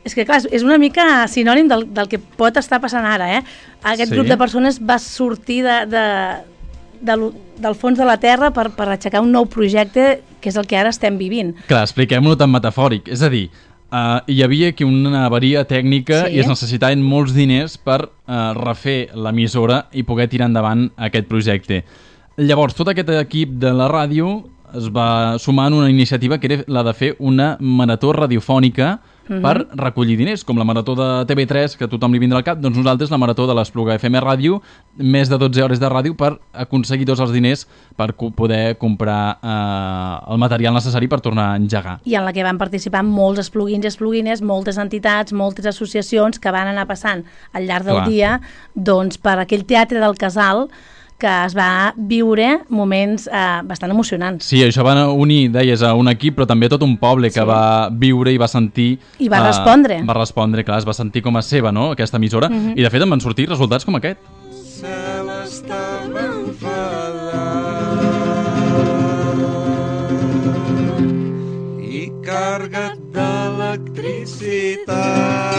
És que, clar, és una mica sinònim del que pot estar passant ara, eh? Aquest grup de persones va sortir del fons de la terra per aixecar un nou projecte, que és el que ara estem vivint. Clar, expliquem-ho tan metafòric. És a dir, hi havia aquí una avaria tècnica i es necessitaven molts diners per refer l'emissora i poder tirar endavant aquest projecte. Llavors, tot aquest equip de la ràdio es va sumar en una iniciativa que era la de fer una marató radiofònica per recollir diners, com la marató de TV3, que a tothom li vindrà al cap, doncs nosaltres la marató de l'Espluga FM Ràdio, més de 12 hores de ràdio per aconseguir tots els diners per poder comprar el material necessari per tornar a engegar. I en la que van participar molts espluguins i espluguines, moltes entitats, moltes associacions que van anar passant al llarg del dia per aquell teatre del Casal, que es va viure moments bastant emocionants. Sí, això va unir, deies, a un equip, però també tot un poble que va viure i va sentir... I va respondre. Va respondre, clar, es va sentir com a seva, no?, aquesta emissora, i de fet en van sortir resultats com aquest. Cel estava enfadat i carregat d'electricitat.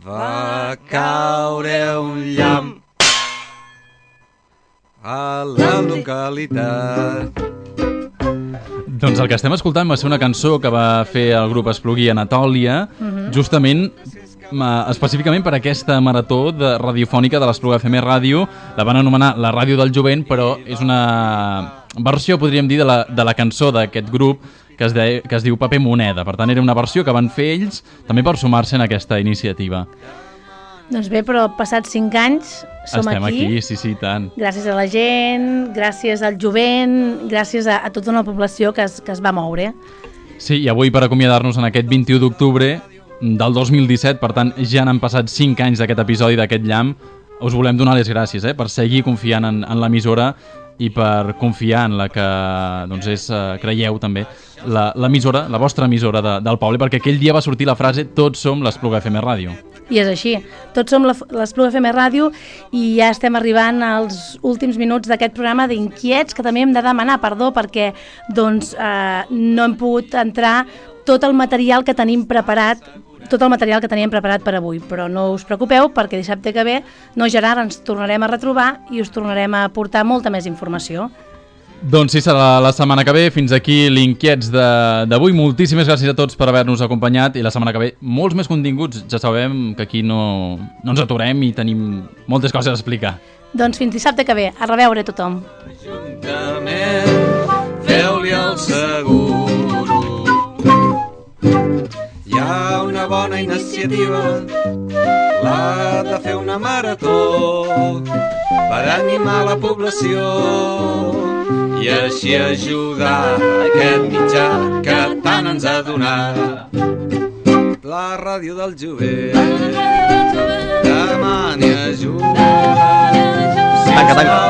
Va caure un llamp a la localitat. Doncs el que estem escoltant va ser una cançó que va fer el grup Esplugui Anatòlia, justament específicament per aquesta marató radiofònica de l'Espluga FM Ràdio. La van anomenar la Ràdio del Jovent, però és una versió, podríem dir, de la cançó d'aquest grup que es diu Paper Moneda. Per tant, era una versió que van fer ells també per sumar-se en aquesta iniciativa. Doncs bé, però passats 5 anys som Estem aquí, sí, tant. Gràcies a la gent, gràcies al jovent, gràcies a tota una població que es va moure. Sí, i avui per acomiadar-nos en aquest 21 d'octubre del 2017, per tant ja n'han passat 5 anys d'aquest episodi d'aquest llamp, us volem donar les gràcies per seguir confiant en l'emissora i per confiar en la que creieu també l'emissora, la vostra emissora del poble, perquè aquell dia va sortir la frase "Tots som l'Espluga FM Ràdio". I és així. Tots som l'Espluga FM Ràdio i ja estem arribant als últims minuts d'aquest programa d'Inquiets, que també hem de demanar perdó perquè doncs, no hem pogut entrar tot el material que tenim preparat, tot el material que teníem preparat per avui, però no us preocupeu perquè dissabte que ve, no Gerard, ens tornarem a retrobar i us tornarem a portar molta més informació. Doncs sí, serà la setmana que ve. Fins aquí l'Inquiets d'avui. Moltíssimes gràcies a tots per haver-nos acompanyat i la setmana que ve molts més continguts. Ja sabem que aquí no ens aturem i tenim moltes coses a explicar. Doncs fins dissabte que ve. A reveure tothom. Feu-li el seguro. Hi ha una bona iniciativa, la de fer una marató per animar la població i així ajudar aquest mitjà que tant ens ha donat la ràdio del jovent. Demani ajuda. Tanca.